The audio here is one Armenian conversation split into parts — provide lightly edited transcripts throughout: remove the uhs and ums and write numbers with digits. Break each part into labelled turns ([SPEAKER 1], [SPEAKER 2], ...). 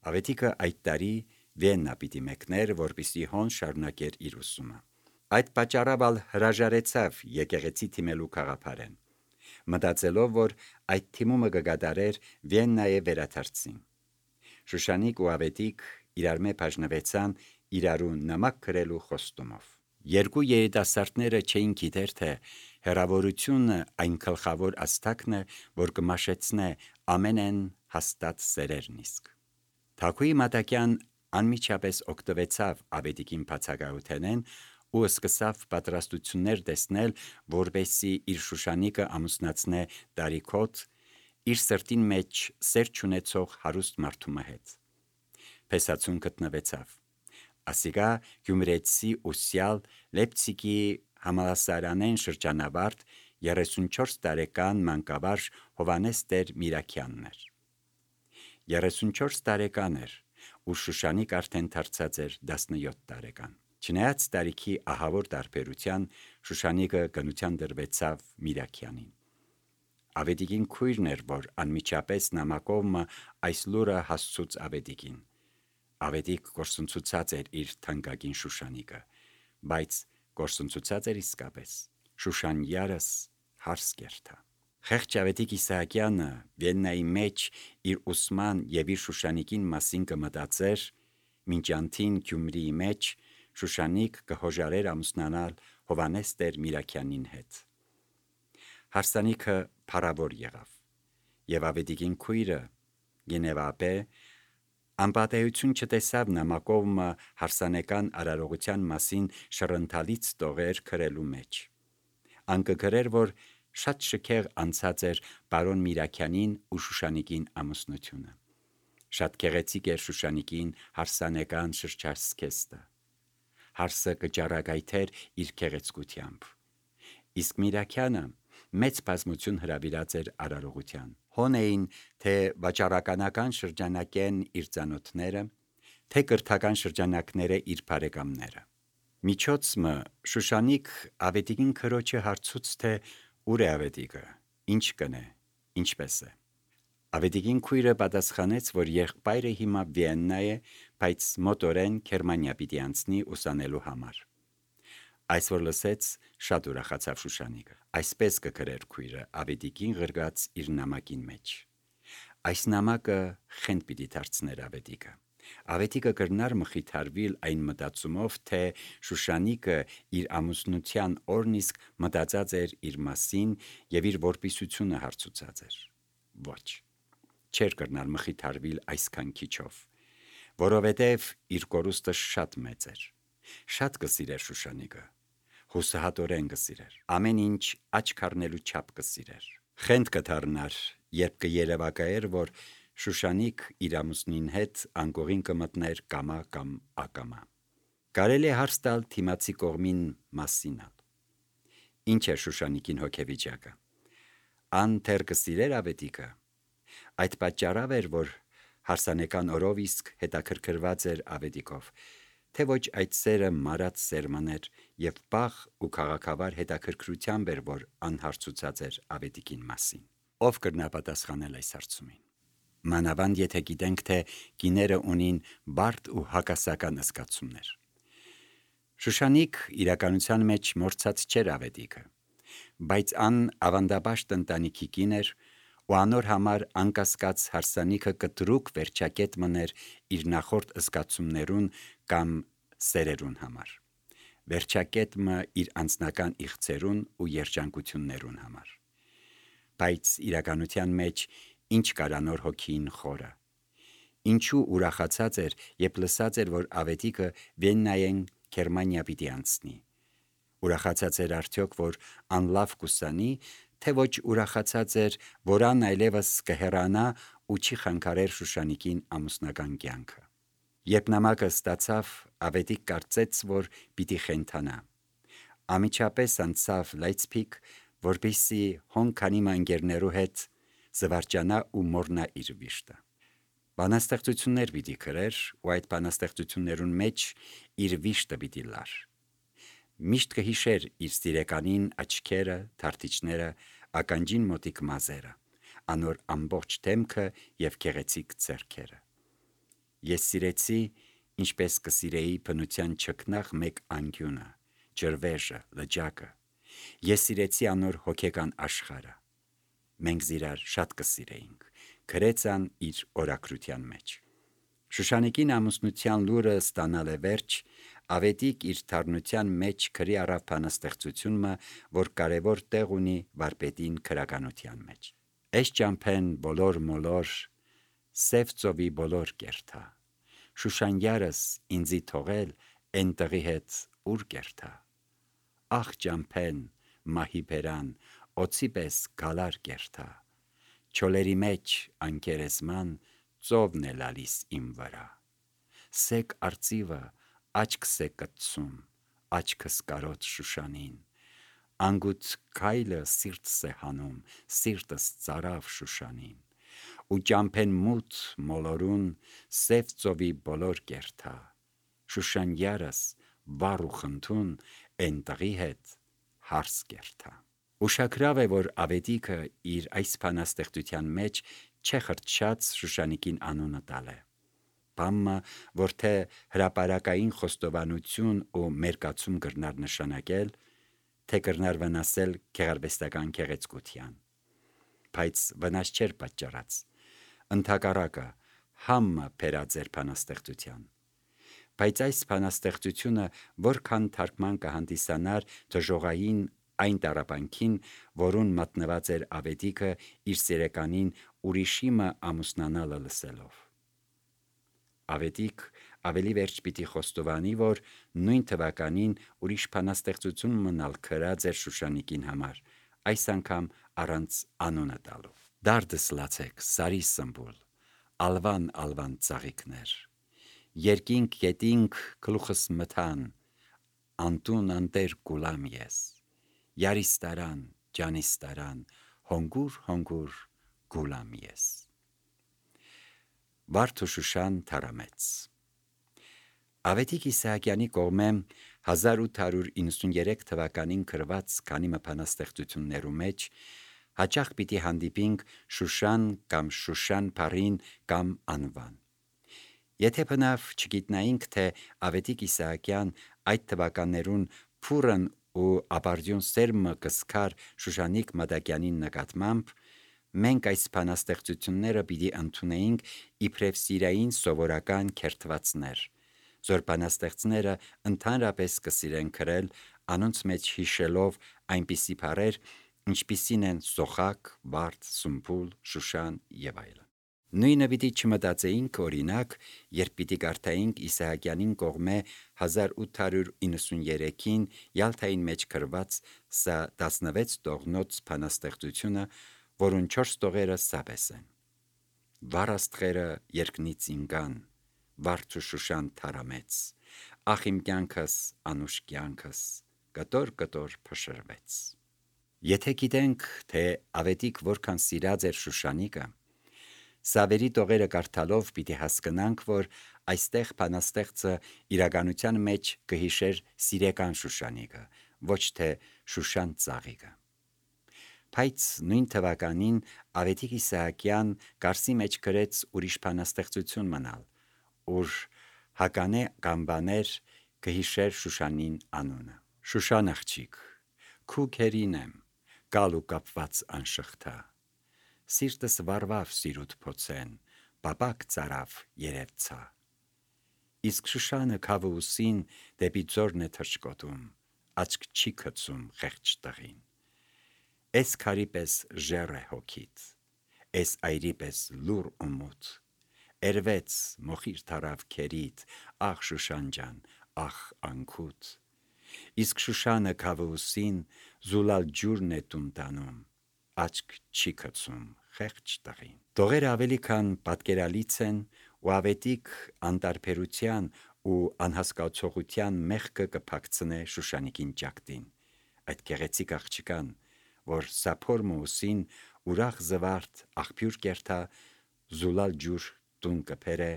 [SPEAKER 1] Ավետիքը այդ տարի Վիեննա պիտի մեկներ, որպեսզի հոն շարունակեր իր ուսումը։ Այդ պատճառով հրաժարեցավ եկեղեցի թիմելու գաղափարեն, մտածելով, որ այդ թիմումը կգադարեր Վիեննայի վերադարձին։ Շուշանիկ ու Ավետիք իրար մե բաժնվեցան իրարու նամակ գրելու խոստումով։ Երկու երիտասարդները չէին գիտեր, թե հեռավորությունը այն գլխավոր աստակն է, որ կմաշեցնե ամենեն հաստատ սերերն իսկ։ Թագուհի Մատակյան անմիջապես օգտվեցավ Ավետիքին բացակայութենեն ու սկսավ պատրաստություններ տեսնել, որպեսզի իր Շուշանիկը ամուսնացնե տարիքոտ իր սրտին մեջ սեր չունեցող հարուստ մարդու հետ։ Փեսացուն գտնվեցավ։ Ասիկա Գյումրեցի ուսյալ Լեպցիգի համալսարանեն շրջանավարտ 34 տարեկան մանկավարժ Հովանես Տեր Միրաքյանն էր։ 34 տարեկան էր, ու Շուշանիկ արդեն դարձած էր 17 տարեկան։ Չնայած տարիքի ահավոր տարբերության, Շուշանիկը գնության դրվեցավ Միրաքյանին։ Ավետիքին քույրն էր, որ անմիջապես նամակով այս լուրը հասցուց Ավետիքին։ Ավետիք գործընծուցած էր իր թանկագին Շուշանիկը, բայց գործընծուցած էր իսկապես։ Շուշան յարս հարս կերթա։ Խեղճ Ավետիք Իսահակյանը Վիեննայի մեջ իր ուսման եւ իր Շուշանիկին մասին կմտածեր, մինչ անթին Գյումրիի մեջ Շուշանիկ կհոժարեր ամուսնանալ Հովանես Տեր Միրաքյանին հետ։ Հարսանիքը փառավոր եղավ, եւ Ավետիքին քույրը Գենևապե անպատեություն չտեսավ նամակով հարսանեկան արարողության մասին շռընթալից տողեր գրելու մեջ։ Անկգրեր, որ շատ շքեղ անցած էր բարոն Միրաքյանին ու Շուշանիկին ամուսնությունը։ Շատ գեղեցիկ էր Շուշանիկին հարսանեկան շրջարսքեստը։ Հարսը կճառագայթեր իր գեղեցկությամբ։ Իսկ Միրաքյանը մեծ բազմություն հրավիրած էր արարողության։ Հոն էին թե վաճառականական շրջանակեն իր ծանոթները, թե կրթական շրջանակները իր բարեկամները։ Միջոցը Շուշանիկ Ավետիքին քրոջը հարցուց, թե ուր է Ավետիքը, ինչ կնե, ինչպես է։ Ավետիքին քույրը պատասխանեց, որ եղբայրը հիմա Վիեննա է, բայց մոտորեն Գերմանիա պիտի անցնի ուսանելու համար։ Այս որ լսեց, շատ ուրախացավ Շուշանիկը։ Այսպես կգրեր քույրը Ավետիքին գրգած իր նամակին մեջ։ Այս նամակը խենթ պիտի դարձներ Ավետիքը։ Ավետիքը կրնար մխիթարվիլ այն մտածումով, թե Շուշանիկը իր ամուսնության օրն իսկ մտածած էր իր մասին եւ իր որպիսությունը հարցուցած էր։ Ոչ, չէր կրնար մխիթարվիլ այսքան քիչով, որովհետեւ իր կորուստը շատ մեծ էր։ Շատ կսիրեր Շուշանիկը, հուսահատորեն կսիրեր, ամեն ինչ աչք առնելու չափ կսիրեր։ Խենթ կդառնար, երբ կերևակայեր, որ Շուշանիկ իր ամուսնին հետ անկողին կմտներ կամա կամ ակամա։ Կարելի է հարց տալ թիմացի կողմին մասին։ Ինչ է Շուշանիկին հոգեվիճակը։ Ան թեր կսիրեր Ավետիքը։ Այդ պատճառով էր, որ հարսանեկան օրով իսկ հետաքրքրված էր Ավետիքով, թե ոչ այդ սերը մարած սերմներ եւ պաղ ու քաղաքավար հետաքրքրությամբ էր, որ անհարցուցած էր Ավետիքին մասին։ Ով կրնա պատասխանել այս հարցումին։ Մանավանդ եթե գիտենք, թե կիները ունին բարդ ու հակասական զգացումներ։ Շուշանիկ իրականության մեջ մորցած չէր Ավետիքը, բայց ան ավանդաբաշտ ընտանիքի կին էր ու անոր համար անկասկած հարսանիքը կտրուկ վերջակետ մներ իր նախորդ զգացումներուն կամ սերերուն համար, վերջակետը իր անձնական իղձերուն ու երջանկություններուն համար։ Բայց իրականության մեջ ինչ կարանոր հոգին խորը։ Ինչու ուրախացած էր, երբ լսած էր, որ Ավետիքը Վիեննայեն Գերմանիա պիտի անցնի։ Ուրախացած էր արդյոք, որ անլավ կուսանի, թե ոչ ուրախացած էր, որ ան այլևս կհեռանա ու չի խանգարեր Շուշանիկին ամուսնական կյանքը։ Երբ նամակը ստացավ, Ավետիք կարծեց, որ պիտի խենթանա։ Ամիջապես անցավ Լայցփիգ, որպեսզի հոն քանի ընկերներու հետ զվարճանա ու մորնա իր վիշտը։ Բանաստեղծություններ պիտի գրեր ու այդ բանաստեղծություններուն մեջ իր վիշտը պիտի լար։ Միշտ կհիշեր իր սիրեկանին աչքերը, թարթիչները, ականջին մոտիկ մազերը, անոր ամբողջ դեմքը եւ գեղեցիկ ձեռքերը։ Ես սիրեցի, ինչպես կսիրեի բնության չքնաղ մեկ անկյունը, ջրվեժը, լճակը։ Ես սիրեցի անոր հոգեկան աշխարհը։ Մենք զիրար շատ կսիրեինք, գրեց ան իր օրակրության մեջ։ Շուշանիկին ամուսնության լուրը ստանալ է վերջ, Ավետիք իր թարնության մեջ քրի առավ բանաստեղծությունը, որ կարևոր տեղ ունի վարպետին քրականության մեջ։ Էս ճամփեն բոլոր մոլոր, սև ծովի բոլոր կերթա, Շուշան յարս ինձի թողել են տղի հետ ուր կերթա, Ախ ճամփեն, մահի բերան, օծի պես գալար կերթա, Չոլերի մեջ անկերեսման ծովն է լալիս իմ վրա, Սեկ արծիվը աչքս է կտցում, աչքս կարոտ Շուշանին, Անգութ քայլը սիրտս է հանում, սիրտս ծարավ Շուշանին, Ու ճամփեն մութ մոլորուն սև ծովի բոլոր կերթա, Շուշան յարս վառ ու խնդուն են տղի հետ հարս կերթա։ Ուշագրավ է, որ Ավետիքը իր այս բանաստեղծության մեջ չէ խրճած Շուշանիկին անունը տալ է։ Բամը, որ թե հրապարակային խոստովանություն ու մերկացում կրնար նշանակել, թե կրնար վնասել գեղարվեստական գեղեցկության, բայց վնաս չէր պատճառած, ընդհակառակը համը բերած էր բանաստեղծության։ Բայց այս բանաստեղծությունը որքան թարգման կհանդիսանար դժողային այն տառապանքին, որուն մատնված էր Ավետիքը իր սիրեկանին ուրիշիմը ամուսնանալը լսելով։ Ավետիք ավելի վերջ պիտի խոստովանի, որ նույն թվականին ուրիշ բանաստեղծություն մնալ քրած էր Շուշանիկին համար, այս անգամ առանց անունը տալու։ Դարդս լացեք, սարի սմբուլ, ալվան ծաղիկներ, երկինք գետինք գլուխս մթան, անտուն անտեր գուլամ ես, յարիս տարան, ջանիս տարան, հոնգուր գուլամ ես։ Վարդ ու Շուշան թարամեց։ Ավետիք Իսահակյանի կողմէ 1893 թվականին գրված քանի բանաստեղծություններու մեջ հաճախ պիտի հանդիպինք Շուշան կամ Շուշան բառին կամ անվան։ Եթե բնավ չգիտնայինք, թե Ավետիք Իսահակյան այդ թվականներուն փուրն ու ապարդյուն սերմը կսկար Շուշանիկ Մադակյանին նկատմամբ, մենք այս բանաստեղծությունները պիտի ընդունեինք իբրև սիրային սովորական քերթվածներ, որ բանաստեղծները ընդհանրապես կսիրեն գրել, անոնց մեջ հիշելով այնպիսի բառեր, ինչպիսին են սոխակ, վարդ, սմբուլ, Շուշան եւ այլն։ Նույնը պիտի չմտածեինք, օրինակ, երբ պիտի կարդայինք Իսահակյանին կողմէ 1893-ին Յալթային մեջ գրված սա 16 տողնոց բանաստեղծությունը, որուն 4 տողերը սաբես են. Վառ աստղերը երկնից ինգան, վարդ ու Շուշան թարամեց, ախ իմ կյանքս, անուշ կյանքս, կտոր փշրվեց։ Եթե գիտենք, թե Ավետիք որքան սիրած էր Շուշանիկը, սավերի տողերը կարդալով պիտի հասկանանք, որ այստեղ բանաստեղծը իրականության մեջ կհիշեր սիրեկան Շուշանիկը, ոչ թե Շուշան ծաղիկը։ Բայց նույն թվականին Ավետիք Իսահակյան Կարսի մեջ գրեց ուրիշ բանաստեղծություն մնալ, ուր հականե կանբաներ կհիշեր Շուշանին անունը։ Շուշան աղջիկ, քու քերին եմ, գալ ու կապված անշղթա, սիրտս վարվավ սիրուտ փոցեն, պապակ ծարավ երևցա, իսկ Շուշանը քավը ուսին դեպի ձորն է թռչկոտում, աչք չի գցում խեղճ տղին, էս քարի պես ժեռ է հոգիդ, էս այրի պես լուռ ու մութ, երվեց մոխիր թարավ քերիդ, ախ Շուշան ջան, ախ անքուտ, իսկ Շուշանը քավը ուսին զուլալ ջուրն է տուն տանում, աչք չի գցում խեղճ տղին։ Տողերը ավելի քան պատկերալից են ու Ավետիք անտարբերության ու անհասկացողության մեղքը կփակցնե Շուշանիկին ճակտին, այդ գեղեցիկ աղջկան, որ սափոր մուսին ուրախ զվարթ աղբյուր կերթա, զուլալ ջուր տուն կփերը,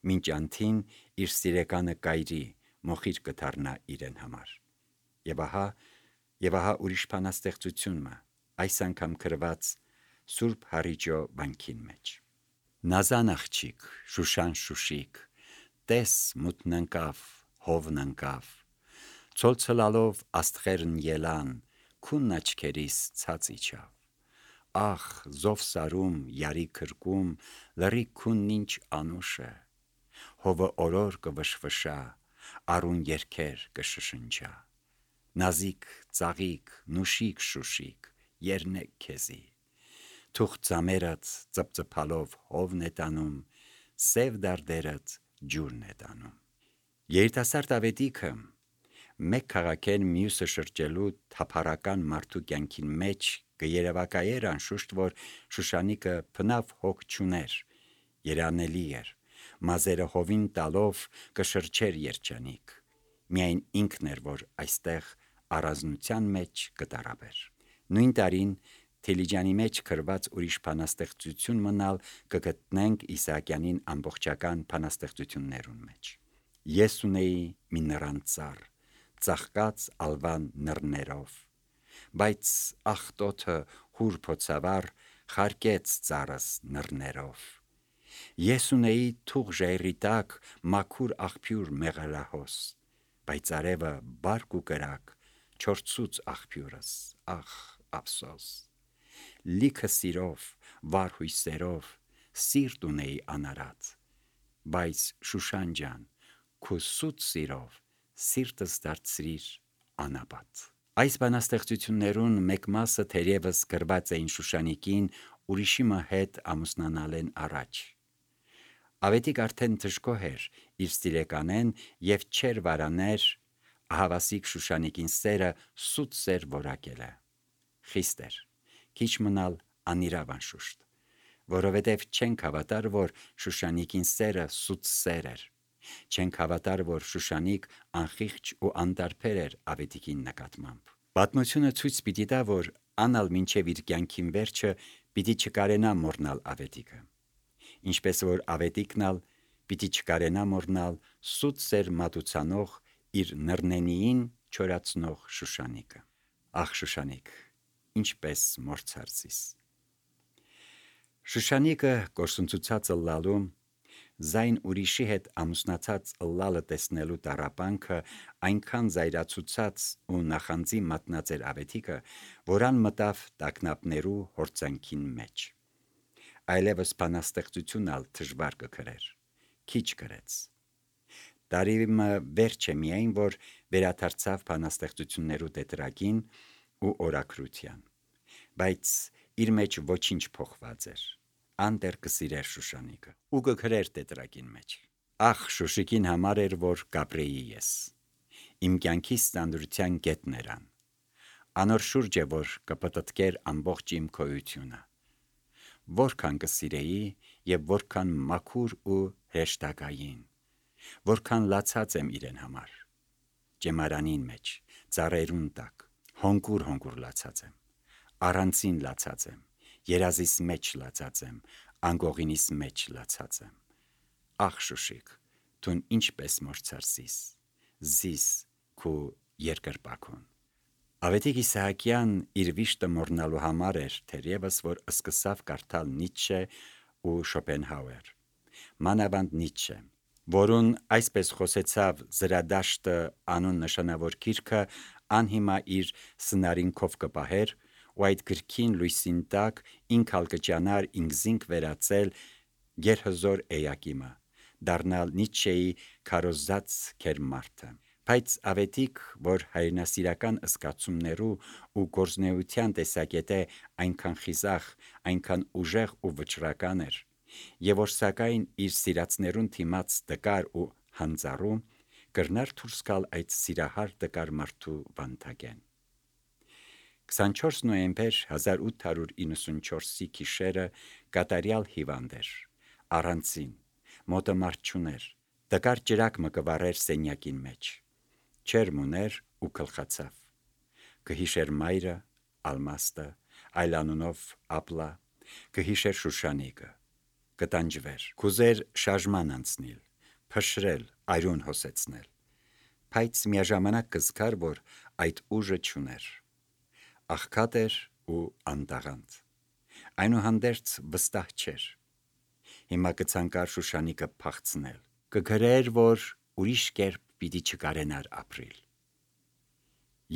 [SPEAKER 1] մինչ անթին իր սիրեկանը կայրի, մոխիր կդառնա իրեն համար։ Եվ ահա ուրիշ բանաստեղծությունը, այս անգամ գրված Սուրբ Հարիճո վանքին մեջ։ Նազան աղջիկ, Շուշան շուշիկ, տես մութն ընկավ, հովն ընկավ, ցոլցլալով աստղերն ելան, քունն աչքերիս ցած իջավ, ախ զովսարում, յարի քրկում, լռի քունն ինչ անուշ է, հովը օրոր կվշվշա, արուն երգեր կշշնջա, նազիկ ծաղիկ, նուշիկ շուշիկ, երնեք քեզի, թուղ ծամերդ ծպծփալով հովն է տանում, սև դարդերդ ջուրն է տանում։ Երիտասարդ ավետիքը մեկ քաղաքեն մյուսը շրջելու թափառական մարդու կյանքին մեջ կերևակայեր անշուշտ, որ Շուշանիկը փնավ հոգ չուներ, երանելի էր, մազերը հովին տալով կշրջեր երջանիկ, միայն ինքն էր, որ այստեղ առանձնության մեջ կտարաբեր։ Նույն տարին Թիլիջանի մեջ գրված ուրիշ բանաստեղծություն մնալ կգտնենք Իսահակյանին ամբողջական բանաստեղծություններուն մեջ։ Ես ունեի մի նռան ծաղկած ալվան նռներով, բայց աղտոթը հուր փոցավառ խարկեց ծառս նռներով։ Ես ունեի թուղ ժայռի տակ մաքուր աղբյուր մեղրահոս, բայց արևը բարկ ու կրակ չորցուց աղբյուրս, ախ ափսոս։ Լիքը սիրով, վառ հույսերով, սիրտ ունեի անարատ, բայց Շուշան ջան, քո սուտ սիրով սիրտս դարձրիր անապատ։ Այս բանաստեղծություններուն մեկ մասը թերևս գրված էին Շուշանիկին ուրիշի հետ ամուսնանալեն առաջ։ Ավետիք արդեն դժգոհ էր իր սիրեկանեն եւ չեր վարաներ ահավասիկ Շուշանիկին սերը սուտ սեր որակել է։ Խիստ էր, քիչ մնալ անիրավ անշուշտ, որովհետև չենք հավատար, որ Շուշանիկին սերը սուտ սեր էր, չենք հավատար, որ Շուշանիկ անխիղճ ու անտարբեր էր ավետիքին նկատմամբ։ Պատմությունը ցույց պիտի տա, որ անալ մինչև իր կյանքին վերջը պիտի չկարենա մոռնալ ավետիքը, ինչպես որ ավետիքնալ պիտի չկարենա մոռնալ սուտ սեր մատուցանող իր նռնենիին չորացնող Շուշանիկը։ Ախ Շուշանիկ, ինչպես մորցարցիս։ Շուշանիկը կորսունցուցած ըլլալու, զայն ուրիշի հետ ամուսնացած ըլլալը տեսնելու տառապանքը այնքան զայրացուցած ու նախանձի մատնած էր ավետիքը, որան մտավ տագնապներու հորձանքին մեջ։ Այլևս բանաստեղծություն ալ դժվար կգրեր, քիչ գրեց։ Տարիմը վերջ է միայն, որ վերադարձավ բանաստեղծություններու տետրագին ու օրակրության, բայց իր մեջ ոչինչ փոխված էր, անտեր կսիրեր Շուշանիկը ու կգրեր տետրագին մեջ։ Ախ Շուշիկին համար էր, որ կապրեի ես, իմ կյանքիս ծանրության գետն երան, անոր շուրջ է, որ կպտտկեր ամբողջ իմ քոյությունը, որքան կսիրեի եւ որքան մաքուր ու հեշտակային, որքան լացած եմ իրեն համար, ջեմարանին մեջ, ծառերուն տակ, հոնկուր լացած եմ, առանցին լացած եմ, երազիս մեջ լացած եմ, անգողինիս մեջ լացած եմ։ Ախ Շուշիկ, դուն ինչպես մորցարսիս, զիս քու երկրպագուն։ Ավետիք Իսահակյան իր վիշտը մոռնալու համար էր, թերևս որ սկսավ կարդալ Նիցշե ու Շոպենհաուեր, մանավանդ Նիցշե, որուն այսպես խոսեցավ Զրադաշտը անուն նշանավոր գիրքը անհիմա իր սնարինքով կպահեր, ու այդ գրքին լույսին տակ ինքալ կճանար ինքզինք վերածել գերհզոր էակիմը, դառնալ Նիցշեի քարոզած կերմարդը։ Բայց ավետիք, որ հայրենասիրական զգացումներու ու գործնեության տեսակետը այնքան խիզախ, այնքան ուժեղ ու վճռական էր, եւ որ սակայն իր սիրածներուն թիմած դկար ու հանձառու, կրնար դուրս գալ այդ սիրահար դկար մարդու վանթագեն։ 24 նոյեմբեր 1894-ի գիշերը կատարյալ հիվանդ էր, առանցին, մոտը մարդ չուներ, դկար ջրակ մը կվառեր սենյակին մեջ, չերմ ուներ ու գլխացավ, կհիշեր մայրը, Ալմաստը, այլանունով Ապլա, կհիշեր Շուշանիկը, կտանջվեր, կուզեր շարժման անցնել, փշրել, այրուն հոսեցնել, բայց միաժամանակ կզգար, որ այդ ուժը չուներ, աղքատ էր ու անտաղանդ, այնուհանդերձ վստահ չէր։ հիմա կցանկար Շուշանիկը փախցնել, կգրեր, որ ուրիշ կերպ պիտի չկարենար ապրիլ։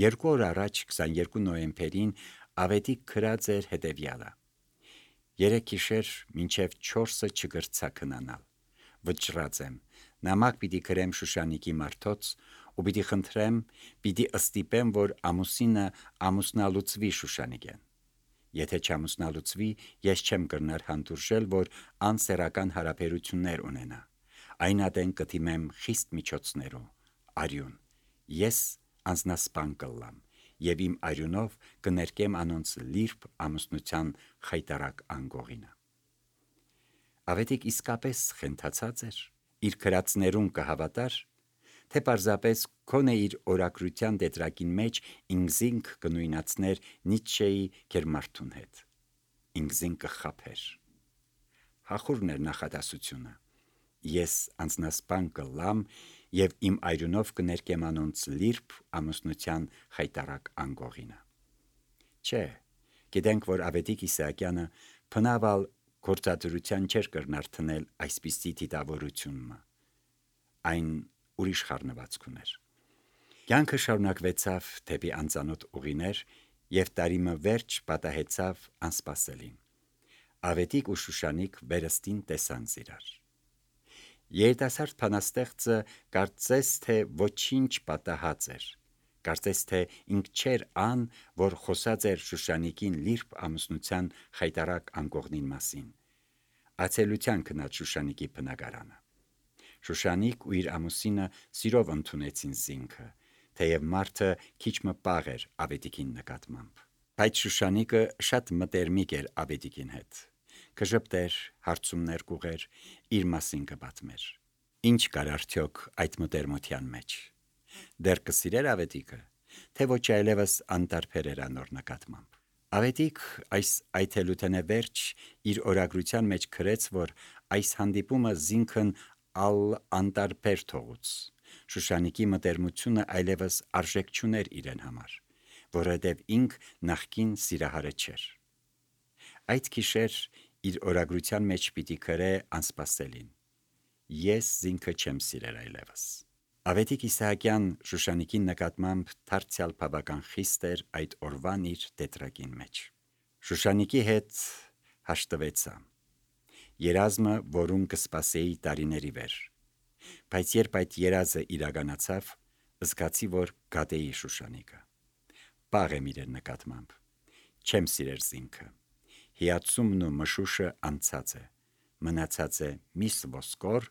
[SPEAKER 1] 2 օր առաջ 22 նոյեմբերին Ավետիք գրած էր հետևյալը. 3 գիշեր մինչև 4-ը չգրցա քնանալ, վճռած եմ, նամակ պիտի գրեմ Շուշանիկի մարդոց ու պիտի խնդրեմ, պիտի ըստիպեմ, որ ամուսինը ամուսնալուծվի Շուշանիկեն։ Եթե չամուսնալուծվի, ես չեմ կրնար հանդուրժել, որ անսեռական հարաբերություններ ունենա, այն ատեն կդիմեմ խիստ միջոցներու, արյուն, ես անձնասպան կլամ և իմ արյունով կներկեմ անոնց լիրբ ամուսնության խայտարակ անգողինը։ Ավետիք իսկապես խենթացած էր, իր գրածներուն կհավատար, թե պարզապես քոնե իր օրակրության տետրակին մեջ ինքզինք կնույնացներ Նիցշեի գերմարդուն հետ, ինքզինք կխաբեր։ Հախուրն էր նախադասությունը, ես անձնասպան կլամ և իմ այրունով կներկեմ անոնց լիրբ ամուսնության խայտարակ անգողինը։ Չէ, գիտենք, որ Ավետիք Իսահակյանը բնավալ գործադրության չէր կրնար թնել այսպիսի դիտավորությունը, այն ուրիշ խառնվածք ուներ։ Կյանքը շարունակվեցավ դեպի անծանոթ ուղիներ և տարիմը վերջ պատահեցավ անսպասելին։ Ավետիք ու Շուշանիկ վերստին տեսան իրար։ Երիտասարդ բանաստեղծը կարծես թե ոչինչ պատահած էր, կարծես թե ինք չէր ան, որ խոսած էր Շուշանիկին լիրբ ամուսնության խայտարակ անկողնին մասին, ացելության գնաց Շուշանիկի բնակարանը։ Շուշանիկ ու իր ամուսինը սիրով ընդունեցին զինքը, թեև մարդը քիչ մը պաղ էր Ավետիքին նկատմամբ, բայց Շուշանիկը շատ մտերմիկ էր Ավետիքին հետ, կժպտեր, հարցումներ կուղեր, իր մասին կպատմեր։ Ինչ կար արդյոք այդ մտերմության մեջ։ Դեռ կսիրեր Ավետիքը, թե ոչ այլևս անտարբեր էր անոր նկատմամբ։ Ավետիք այս այթելութենե վերջ իր օրագրության մեջ գրեց, որ այս հանդիպումը զինքն անտարբեր թողուց։ Շուշանիկի մտերմությունը այլևս արժեք չուներ իրեն համար, որովհետև ինք նախկին սիրահարը չէր։ Այդ գիշեր իր օրագրության մեջ պիտի գրե անսպասելին. ես զինքը չեմ սիրել այլևս։ Ավետիք Իսահակյան Շուշանիկի նկատմամբ դարձյալ բավական խիստ էր այդ օրվան իր տետրակին մեջ։ Շուշանիկի հետ հաշտվեցա։ Երազմը, որում կսպասեի տարիների վեր, բայց երբ այդ երազը իրականացավ, զգացի, որ գատեի Շուշանիկը։ Պաղ եմ իրեն նկատմամբ, չեմ սիրեր զինքը, հիացումն ու մշուշը անցած է, մնացած է միս ոսկոր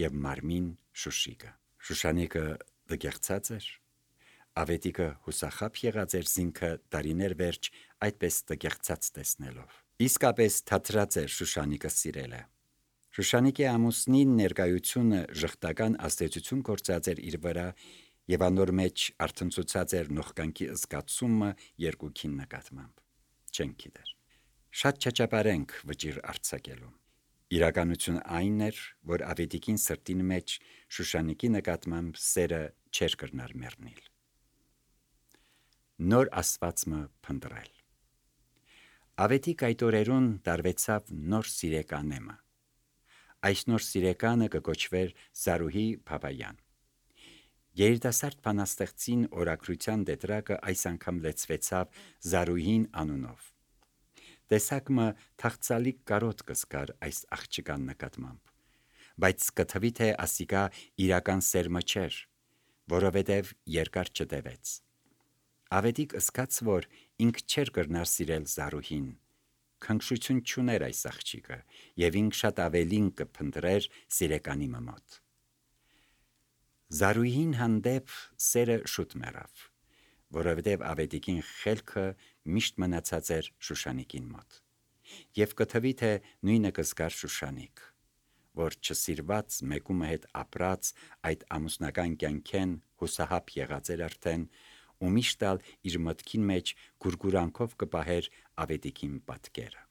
[SPEAKER 1] և մարմին շուշիկը։ Շուշանիկը դգեղցած էր, Ավետիքը հուսախաբ եղած էր զինքը տարիներ վերջ այդպես դգեղցած տեսնելով։ Իսկապես թատրած էր Շուշանիկը սիրելը։ Շուշանիկի ամուսնին ներկայությունը ժխտական ազդեցություն գործած էր իր վրա և անոր մեջ արթնցուցած էր նողկանքի զգացումը երկուքին նկատմամբ։ Չենք գիտեր։ Շատ չաճապարենք վճիռ արձակելու։ Իրականությունը այն էր, որ Ավետիքին սրտին մեջ Շուշանիկի նկատմամբ սերը չէր կրնար մեռնել։ Նոր ասվածը փնտրել։ Ավետիք այդ օրերուն տարվեցավ նոր սիրեկանեմը։ Այս նոր սիրեկանը կկոչվեր Զարուհի Բաբայան։ Երիտասարդ բանաստեղծին օրագրության տետրակը այս անգամ լեցվեցավ Զարուհին անունով։ Տեսակը թախծալի կարոտ կսկար այս աղջկան նկատմամբ, բայց կթվի թե ասիկա իրական սերմը չէր, որովհետև երկար չտևեց։ Ավետիք ըսկաց, որ ինք չէր կրնար սիրել Զարուհին, քնքշություն չուներ այս աղջիկը և ինք շատ ավելին կփնտրեր սիրեկանի մոտ։ Զարուհին հանդեպ սերը շուտ մեռավ, որովհետև Ավետիքին խելքը միշտ մնացած էր Շուշանիկին մոտ, և կթվի թե նույնը կզգար Շուշանիկ, որ չսիրված մեկումը հետ ապրած այդ ամուսնական կյանքեն հուսահապ եղած էր արդեն ու միշտ ալ իր մտքին մեջ գուրգուրանքով կպահեր Ավետիքին պատկերը։